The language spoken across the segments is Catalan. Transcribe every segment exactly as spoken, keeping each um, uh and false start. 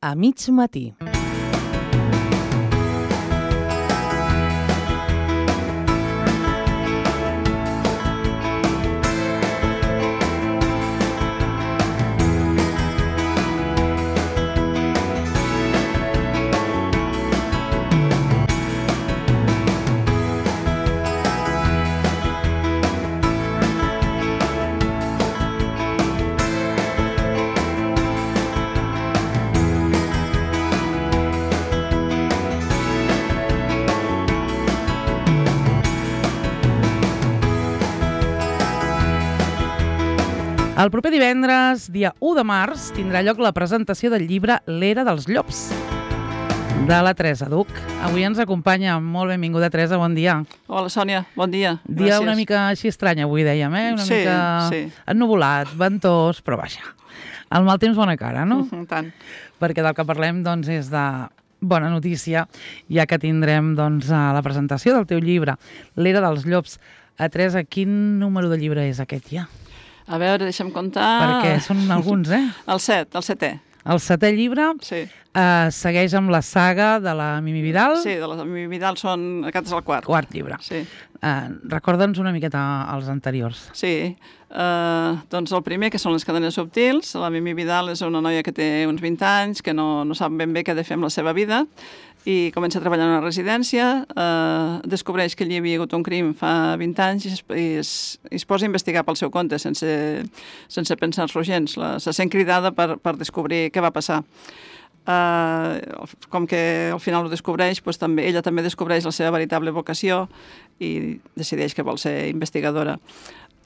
a mig matí. El proper divendres, dia u de març, tindrà lloc la presentació del llibre L'era dels llops, de la Teresa Duch. Avui ens acompanya. Molt benvinguda, Teresa, bon dia. Hola, Sònia, bon dia. Dia una mica així estrany avui, dèiem, eh? Una sí, mica sí. ennuvolat, ventós, però vaja. El mal temps, bona cara, no? Uh-huh, tant. Perquè del que parlem, doncs, és de bona notícia, ja que tindrem, doncs, la presentació del teu llibre, L'era dels llops. A Teresa, quin número de llibre és aquest ja? A veure, deixa'm comptar... Perquè són alguns, eh? El set, el setè. El setè llibre sí. eh, segueix amb la saga de la Mimi Vidal. Sí, de la Mimi Vidal són... Aquest és el quart. Quart llibre. Sí. Eh, Recorda'ns una miqueta els anteriors. Sí. Uh, doncs el primer, que són les cadenes subtils. La Mimi Vidal és una noia que té uns vint anys, que no, no sap ben bé què ha de fer amb la seva vida, i comença a treballar en una residència, eh, descobreix que allí hi havia hagut un crim fa vint anys i es, i es, i es posa a investigar pel seu compte, sense, sense pensar-s'ho gens. La, se sent cridada per, per descobrir què va passar. Eh, com que al final ho descobreix, doncs també, ella també descobreix la seva veritable vocació i decideix que vol ser investigadora.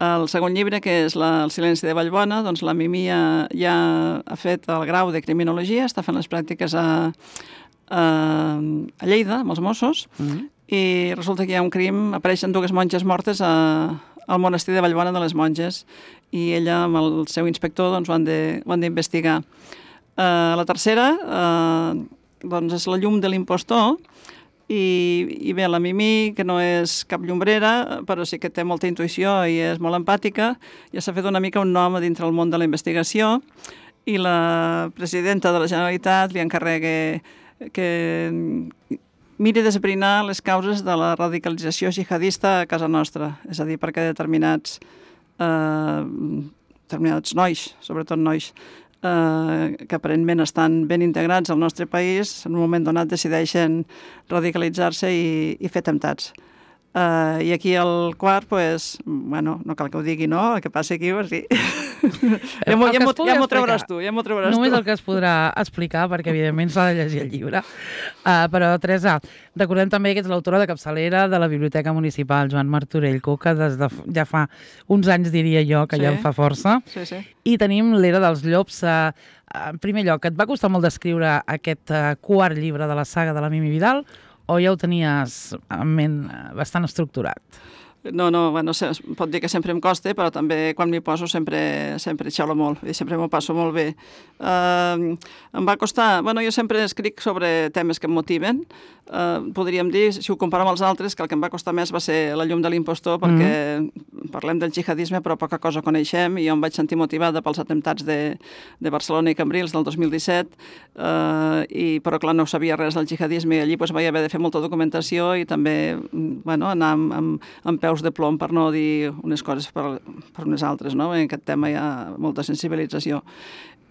El segon llibre, que és la, El silenci de Vallbona, doncs la Mimi ja, ja ha fet el grau de criminologia, està fent les pràctiques a a Lleida, amb els Mossos, mm-hmm. i resulta que hi ha un crim, apareixen dues monges mortes a, al monestir de Vallbona de les Monges, i ella amb el seu inspector doncs, ho han d'investigar. Uh, la tercera uh, doncs és La llum de l'impostor, i, i bé, la Mimi, que no és cap llombrera, però sí que té molta intuïció i és molt empàtica, ja s'ha fet una mica un nom dintre el món de la investigació, i la presidenta de la Generalitat li encarrega que miri d'esbrinar les causes de la radicalització jihadista a casa nostra, és a dir, perquè determinats, eh, determinats nois, sobretot nois, eh, que aparentment estan ben integrats al nostre país, en un moment donat decideixen radicalitzar-se i, i fer temptats. Uh, I aquí el quart, pues, bueno, no cal que ho digui, no? El que passa aquí, pues, sí. ja m'ho ja ja trauràs tu, ja m'ho trauràs tu. Només el que es podrà explicar, perquè evidentment s'ha de llegir el llibre. Uh, però, Teresa, recordem també que ets l'autora de capçalera de la Biblioteca Municipal Joan Martorell Cuca, des de ja fa uns anys, diria jo, que sí. Ja en fa força. Sí, sí. I tenim L'era dels llops. Uh, en primer lloc, et va costar molt d'escriure aquest uh, quart llibre de la saga de la Mimi Vidal, o ja ho tenies en ment bastant estructurat? No, no, bueno, es pot dir que sempre em costa, però també quan m'hi poso sempre, sempre xalo molt i sempre m'ho passo molt bé. Uh, em va costar... Bueno, jo sempre escric sobre temes que em motiven. Uh, podríem dir, si ho comparem amb els altres, que el que em va costar més va ser La llum de l'impostor, perquè mm. parlem del jihadisme, però poca cosa coneixem, i jo em vaig sentir motivada pels atemptats de, de Barcelona i Cambrils del dos mil disset, uh, i, però clar, no sabia res del jihadisme, i allí pues, vaig haver de fer molta documentació i també bueno, anar amb, amb, amb peus de plom, per no dir unes coses per, per unes altres, no? En aquest tema hi ha molta sensibilització.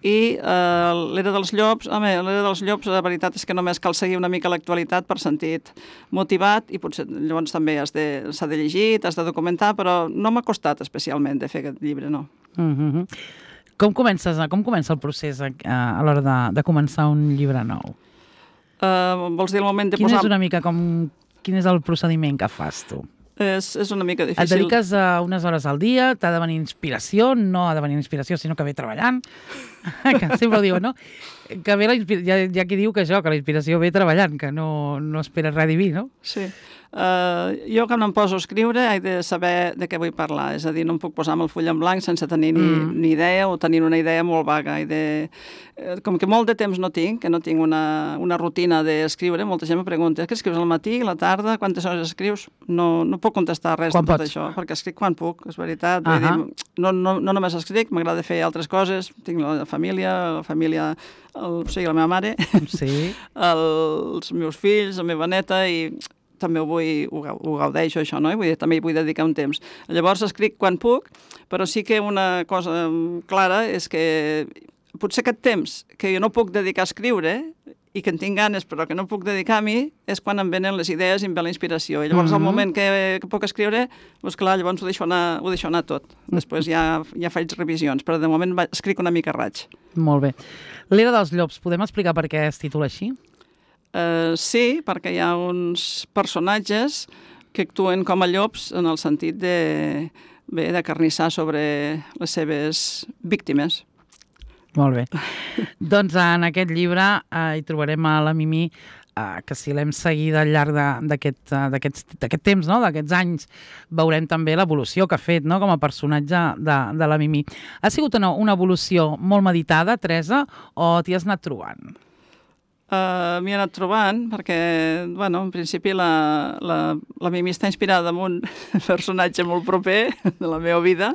I eh, L'era dels llops, home, L'era dels llops, la veritat és que només cal seguir una mica l'actualitat per sentit motivat, i potser llavors també s'ha de, de llegir, t'has de documentar, però no m'ha costat especialment de fer aquest llibre, no. Mm-hmm. Com comences, com comença el procés a, a l'hora de, de començar un llibre nou? Uh, vols dir el moment de quin posar... És una mica com, quin és el procediment que fas tu? És, és una mica difícil. Et dediques a unes hores al dia, t'ha de venir inspiració, no ha de venir inspiració, sinó que ve treballant. Que sempre ho diuen, no? Que ve la inspiració, hi ha, hi ha qui diu que això, que la inspiració ve treballant, que no, no espera res diví, no? Sí. Uh, jo quan em poso a escriure he de saber de què vull parlar, és a dir, no em puc posar amb el full en blanc sense tenir ni, mm. ni idea o tenir una idea molt vaga. I de, eh, com que molt de temps no tinc, que no tinc una, una rutina d'escriure, molta gent me pregunta, què escrius al matí, a la tarda, quantes hores escrius? No, no puc contestar res quan de tot pots? Això, perquè escric quan puc, és veritat. Uh -huh. Vull dir, no, no, no només escric, m'agrada fer altres coses, tinc la família, la família, el, o sigui, la meva mare, sí. el, els meus fills, la meva neta, i també ho, vull, ho, ho gaudeixo, això, no? I vull dir, també hi vull dedicar un temps. Llavors escric quan puc, però sí que una cosa clara és que potser aquest temps que jo no puc dedicar a escriure i que en tinc ganes però que no puc dedicar a mi és quan em venen les idees i em ve la inspiració. I llavors, mm-hmm. al moment que, que puc escriure, doncs clar, llavors ho deixo anar, ho deixo anar tot. Després ja, ja faig revisions, però de moment va, escric una mica raig. Molt bé. L'Era dels Llops, podem explicar per què es titula així? Uh, sí, perquè hi ha uns personatges que actuen com a llops en el sentit de, bé, de carnissar sobre les seves víctimes. Molt bé. Doncs en aquest llibre eh, hi trobarem a la Mimí, eh, que si l'hem seguida al llarg d'aquest d'aquest temps, no? D'aquests anys, veurem també l'evolució que ha fet, no? Com a personatge de, de la Mimí. Ha sigut una, una evolució molt meditada, Teresa, o t'hi has anat trobant? Uh, M'hi he anat trobant perquè, bueno, en principi la, la, la Mimí està inspirada en un personatge molt proper de la meva vida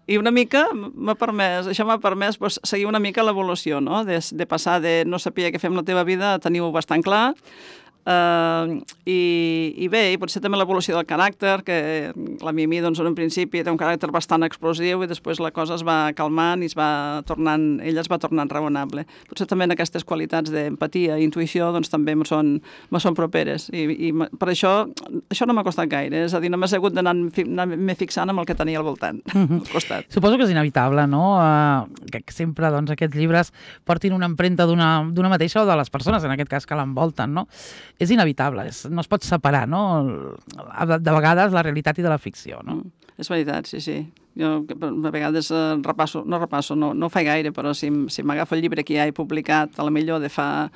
i una mica m'ha permès, això m'ha permès pues, seguir una mica l'evolució, no? De, de passar de no saber què fer amb la teva vida a tenir-ho bastant clar. Uh, i, i bé, i potser també l'evolució del caràcter, que la Mimí doncs, en un principi té un caràcter bastant explosiu i després la cosa es va calmant i es va tornant, ella es va tornant raonable. Potser també en aquestes qualitats d'empatia i intuïció doncs, també me són, me són properes i, i per això això no m'ha costat gaire, és a dir, només he hagut d'anar-me fixant amb el que tenia al voltant, al costat. Suposo que és inevitable, no? Uh, que sempre doncs, aquests llibres portin una empremta d'una mateixa o de les persones, en aquest cas, que l'envolten, no? És inevitable, és, no es pot separar, no? De vegades la realitat i de la ficció, no? Mm, és veritat, sí, sí. Jo a vegades eh, repasso, no repasso, no, no ho faig gaire, però si, si m'agafo el llibre que ja he publicat, a la millor de fa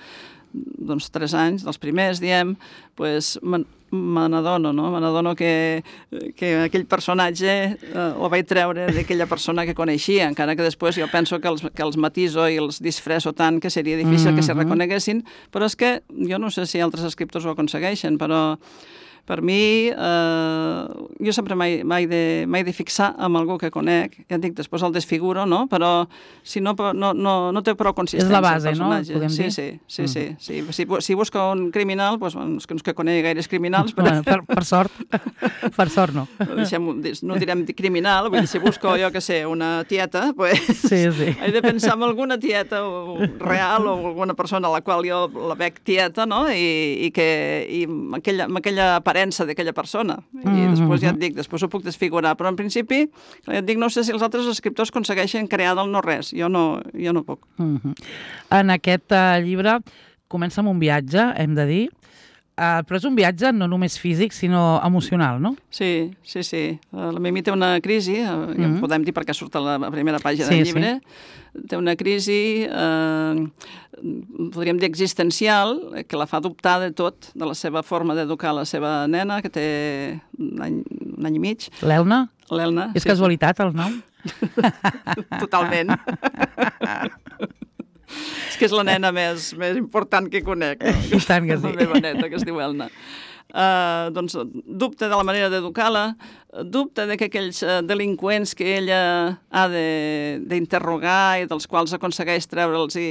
doncs, tres anys, dels primers, diem, pues, me n'adono, no? Me n'adono que, que aquell personatge eh, el vaig treure d'aquella persona que coneixia, encara que després jo penso que els, que els matiso i els disfresso tant que seria difícil mm-hmm. que se reconeguessin, però és que jo no sé si altres escriptors ho aconsegueixen, però per mi, eh, jo sempre m'he de, de fixar amb algú que conec, ja et dic, després el desfiguro, no? Però si no, no, no, no té prou consistència. És la base, no? Podem sí, dir? Sí, sí, sí, mm. sí. Si, si busca un criminal, doncs, els que no es que conegui gaires criminals... Però... Bueno, per, per sort, per sort no. Deixem, no direm criminal, vull dir, si busco, jo que sé, una tieta, doncs sí, sí. he de pensar en alguna tieta real o alguna persona a la qual jo la veig tieta, no? I, i que i amb aquella, amb aquella aparença d'aquella persona. I mm-hmm. després ja et dic, després ho puc desfigurar. Però en principi, ja et dic, no sé si els altres escriptors aconsegueixen crear del no res. Jo no, jo no puc. Mm-hmm. En aquest uh, llibre comença amb un viatge, hem de dir, uh, però és un viatge no només físic, sinó emocional, no? Sí, sí, sí. Uh, la Mimí té una crisi, uh, mm-hmm. ja en podem dir perquè surt a la primera pàgina sí, del llibre, sí. Té una crisi, eh, podríem dir existencial, que la fa dubtar de tot, de la seva forma d'educar la seva nena, que té un any, un any i mig. L'Elna? L'Elna. És sí, casualitat, sí. El nom? Totalment. És que és la nena més, més important que conec. No? I tant que sí. La meva neta, que es diu Elna. Uh, doncs dubta de la manera d'educar-la, dubta de que aquells uh, delinqüents que ella ha d'interrogar i dels quals aconsegueix treure'ls i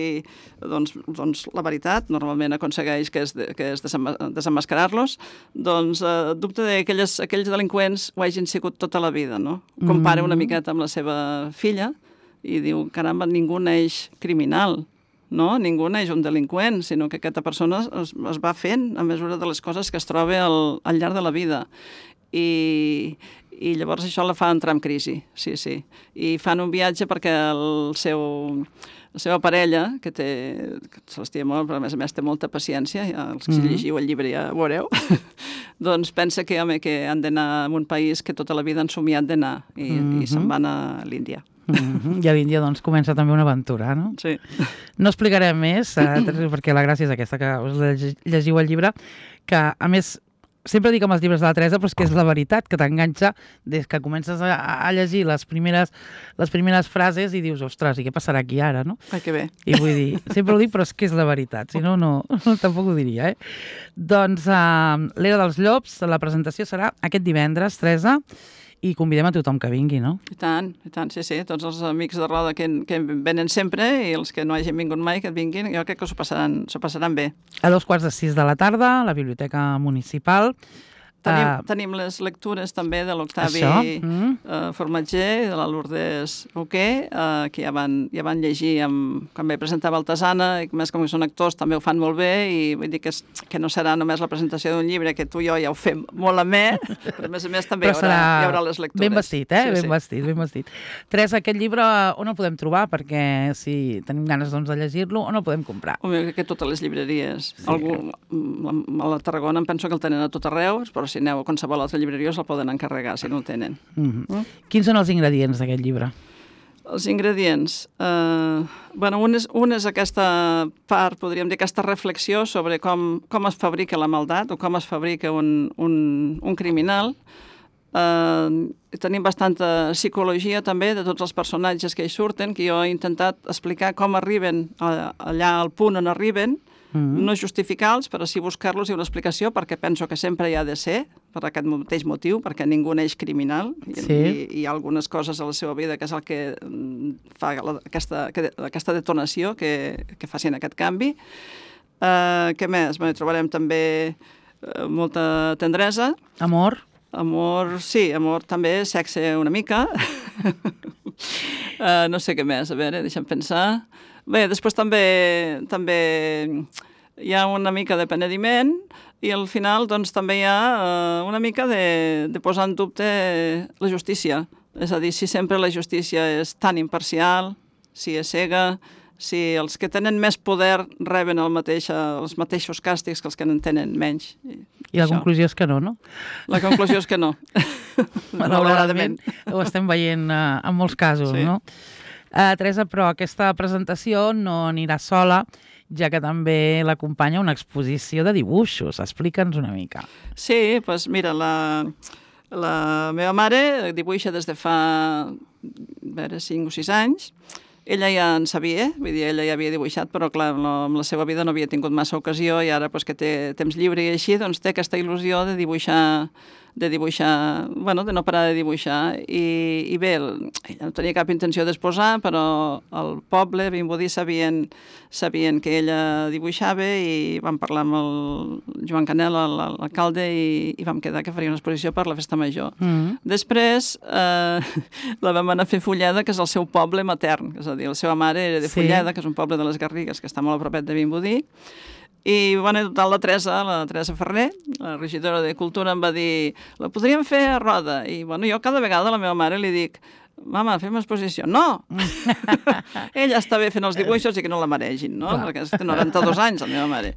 doncs, doncs la veritat, normalment aconsegueix que és, de, que és desemmascarar-los, doncs uh, dubta de que aquelles, aquells delinqüents ho hagin sigut tota la vida, no? Compara una miqueta amb la seva filla i diu, caramba, ningú neix criminal, no? Ningú neix un delinqüent, sinó que aquesta persona es, es va fent a mesura de les coses que es troba al, al llarg de la vida. I, i llavors això la fa entrar en crisi, sí, sí. I fan un viatge perquè el seu, la seva parella, que té, que se l'estima molt, però a més a més té molta paciència, ja, els que mm-hmm. llegiu el llibre ja ho veureu, doncs pensa que, home, que han d'anar a un país que tota la vida han somiat d'anar i, mm-hmm. i se'n van a l'Índia. Mm-hmm. I a l'Índia doncs comença també una aventura, no? Sí. No explicarem més, eh, perquè la gràcia és aquesta, que us llegiu el llibre, que a més sempre dic amb els llibres de la Teresa, però és que és la veritat, que t'enganxa des que comences a, a llegir les primeres, les primeres frases i dius, ostres, i què passarà aquí ara, no? Ai, que bé. I vull dir, sempre ho dic, però és que és la veritat, si no, no, tampoc ho diria, eh? Doncs uh, l'Era dels Llops, la presentació serà aquest divendres, Teresa, i convidem a tothom que vingui, no? I tant, i tant, sí, sí, tots els amics de Roda que, que venen sempre i els que no hagin vingut mai, que et vinguin, jo crec que s'ho passaran, s'ho passaran bé. A dos quarts de sis de la tarda, a la Biblioteca Municipal. Tenim, Uh, tenim les lectures també de l'Octavi mm. uh, Formatger, de la Lourdes Roquer, uh, que ja van, ja van llegir amb, quan vaig presentar Baltasana, i més com que són actors també ho fan molt bé, i vull dir que, és, que no serà només la presentació d'un llibre, que tu i jo ja ho fem molt amè, però a més a més també hi haurà, hi haurà les lectures. Ben vestit, eh? Sí, ben sí. vestit, ben vestit. Teresa, aquest llibre on el podem trobar? Perquè si tenim ganes doncs, de llegir-lo, on el podem comprar? Home, crec que totes les llibreries. Sí. Algú, a la Tarragona em penso que el tenen a tot arreu, però si aneu a qualsevol altra llibreria se'l poden encarregar, si no el tenen. Mm-hmm. Mm? Quins són els ingredients d'aquest llibre? Els ingredients... Eh, bueno, un és, un és aquesta part, podríem dir, aquesta reflexió sobre com, com es fabrica la maldat o com es fabrica un, un, un criminal. Eh, tenim bastanta psicologia també de tots els personatges que hi surten, que jo he intentat explicar com arriben a, allà al punt on arriben, Mm-hmm. no justificar-los, però sí buscar-los i una explicació, perquè penso que sempre hi ha de ser, per aquest mateix motiu, perquè ningú neix criminal, i, sí. i, i hi ha algunes coses a la seva vida que és el que fa la, aquesta, que, aquesta detonació que, que facin aquest canvi. Uh, què més? Bé, trobarem també uh, molta tendresa. Amor. Amor, sí, amor també, sexe una mica. uh, no sé què més, a veure, deixa'm pensar... Bé, després també també hi ha una mica de penediment i al final doncs, també hi ha uh, una mica de, de posar en dubte la justícia. És a dir, si sempre la justícia és tan imparcial, si és cega, si els que tenen més poder reben el mateix, els mateixos càstigs que els que en tenen menys. I, I la això. Conclusió és que no, no? La conclusió és que no. Malauradament. Ho estem veient uh, en molts casos, sí. no? Uh, Teresa, però aquesta presentació no anirà sola, ja que també l'acompanya una exposició de dibuixos. Explica'ns una mica. Sí, doncs mira, la, la meva mare dibuixa des de fa a veure, cinc o sis anys. Ella ja en sabia, vull dir, ella ja havia dibuixat, però clar, no, amb la seva vida no havia tingut massa ocasió i ara pues, que té temps lliure i així, doncs té aquesta il·lusió de dibuixar de dibuixar, bueno, de no parar de dibuixar i, i bé, ella no tenia cap intenció d'exposar, però el poble, Vimbodí, sabien, sabien que ella dibuixava i vam parlar amb el Joan Canel, l'alcalde, i, i vam quedar que faria una exposició per la festa major. Mm-hmm. Després eh, la vam anar a fer Fulleda, que és el seu poble matern, és a dir, la seva mare era de Fulleda, sí. que és un poble de les Garrigues, que està molt a propet de Vimbodí. I bueno, total, la Teresa, la Teresa Ferrer, la regidora de Cultura, em va dir la podríem fer a Roda. I bueno, jo cada vegada a la meva mare li dic mama, fem exposició. No! Ella està bé fent els dibuixos i que no la maregin, no? Clar. Perquè té noranta-dos anys, la meva mare.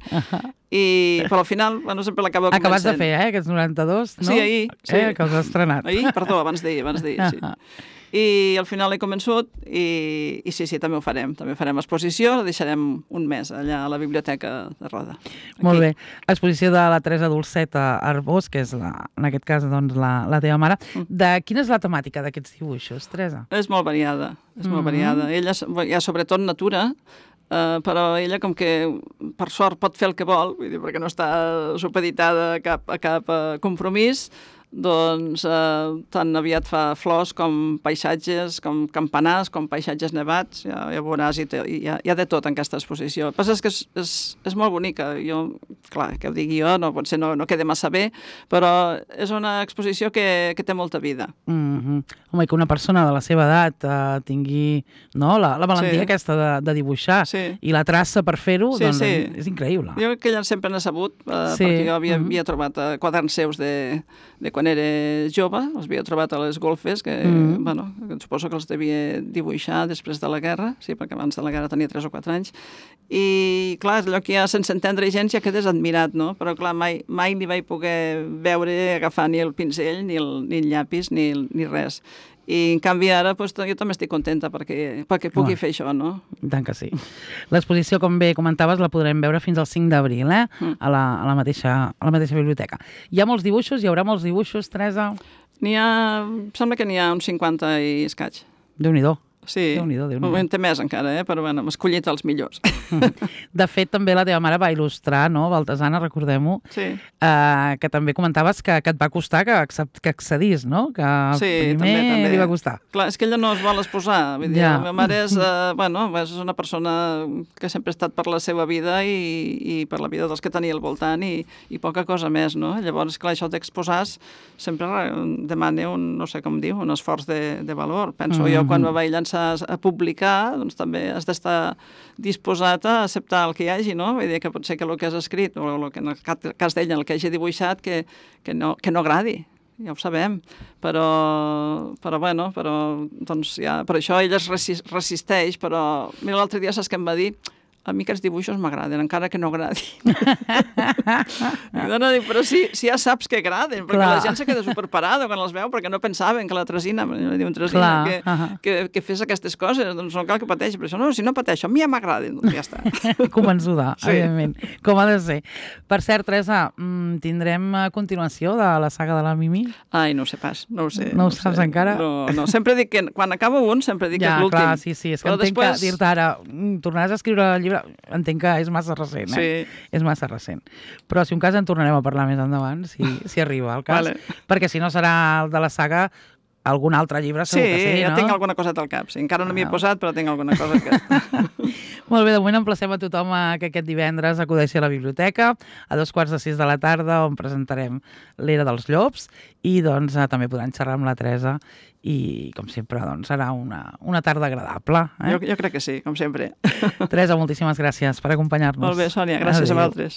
I, però al final, bueno, sempre l'acaba convencent. Acabats de fer, eh, aquests noranta-dos, no? Sí, ahir. Sí. Eh, que els has estrenat. Ahir? Perdó, abans d'ahir, abans d'ahir, sí. I al final he convençut i, i sí, sí, també ho farem. També farem exposició, la deixarem un mes allà a la Biblioteca de Roda. Aquí. Molt bé. Exposició de la Teresa Dolceta Arbós, que és, la, en aquest cas, doncs, la, la teva mare. De quina és la temàtica d'aquests dibuixos, Teresa? És molt variada, és mm-hmm. molt variada. Ella hi ha sobretot natura, Uh, però ella com que per sort pot fer el que vol, vull dir, perquè no està supeditada a cap, a cap uh, compromís, doncs uh, tan aviat fa flors com paisatges, com campanars, com paisatges nevats, ja, ja veuràs, i te, hi, ha, hi ha de tot en aquesta exposició. El que passa és que és, és, és molt bonica, jo, clar, que ho digui jo, no, potser no, no queda massa bé, però és una exposició que, que té molta vida. Mm-hmm. Home, que una persona de la seva edat uh, tingui no, la, la valentia sí. aquesta de, de dibuixar sí. i la traça per fer-ho, sí, doncs sí. és increïble. Jo crec que ella sempre n'ha sabut, uh, sí. perquè jo havia, mm-hmm. havia trobat uh, quaderns seus de, de quan era jove, els havia trobat a les golfes, que, mm-hmm. bueno, suposo que els devia dibuixar després de la guerra, sí, perquè abans de la guerra tenia tres o quatre anys, i clar, és allò que ja sense entendre gens ja quedes admirat, no? Però clar, mai, mai ni vaig poder veure agafar ni el pinzell, ni el, ni el llapis, ni, ni res. I, en canvi, ara doncs, jo també estic contenta perquè, perquè pugui Home. fer això, no? I tant que sí. L'exposició, com bé comentaves, la podrem veure fins al cinc d'abril, eh? Mm. A, la, a, la mateixa, a la mateixa biblioteca. Hi ha molts dibuixos? Hi haurà molts dibuixos, Teresa? N'hi ha... Sembla que n'hi ha uns cinquanta i escaig. Déu-n'hi-do. Sí, Déu-n'hi-do, Déu-n'hi-do. en té més encara, eh? Però bueno, hem escollit els millors. De fet, també la teva mare va il·lustrar, no?, Baltasana, recordem-ho, Sí. eh, que també comentaves que, que et va costar que, accep- que accedís, no? Que Sí, primer també, també. li va costar. Clar, és que ella no es vol exposar. Vull dir, Ja. la meva mare és, eh, bueno, és una persona que sempre ha estat per la seva vida i, i per la vida dels que tenia al voltant i, i poca cosa més, no? Llavors, clar, això d'exposar sempre demana un, no sé com diu, un esforç de, de valor. Penso, mm -hmm. jo quan me vaig llançar a publicar, doncs també has d'estar disposat a acceptar el que hi hagi, no? Vull dir que pot ser que el que has escrit, o el que en el cas d'ella, el que hagi dibuixat, que, que, no, que no agradi. Ja ho sabem, però, però bueno, però, doncs ja, per això ella es resisteix, però mira, l'altre dia saps què em va dir? A mi aquests dibuixos m'agraden, encara que no agradin. no, no, dic, però si, si ja saps que agraden, perquè Clar. la gent se queda superparada quan els veu, perquè no pensaven que la Tresina, diu, Tresina, Clar. que, Uh-huh. que, que fes aquestes coses, doncs no cal que pateixi, però això no, si no pateixo, a mi ja m'agraden, doncs ja està. Convençuda, Sí. evidentment, com ha de ser. Per cert, Teresa, mm, tindrem a continuació de la saga de la Mimi? Ai, no ho sé pas, no ho sé. No ho ho saps sé. encara? No, no, sempre dic que, quan acabo un, sempre dic Ja, que és l'últim. clar, sí, sí, és que Però entenc després... que dir-te ara, mm, tornaràs a escriure el llibre, entenc que és massa recent, eh? Sí. És massa recent. Però si un cas en tornarem a parlar més endavant, si, si arriba el cas, Vale. perquè si no serà el de la saga algun altre llibre, Sí, segur que sí, ja no? tinc alguna coseta al cap. Sí, encara no m'hi he Ah. posat, però tinc alguna cosa al cap. Molt bé, de moment emplacem a tothom a que aquest divendres acudeixi a la biblioteca a dos quarts de sis de la tarda, on presentarem l'Era dels Llops, i doncs eh, també podran xerrar amb la Teresa i, com sempre, doncs, serà una, una tarda agradable. Eh? Jo, jo crec que sí, com sempre. Teresa, moltíssimes gràcies per acompanyar-nos. Molt bé, Sònia, gràcies Adéu. a vosaltres.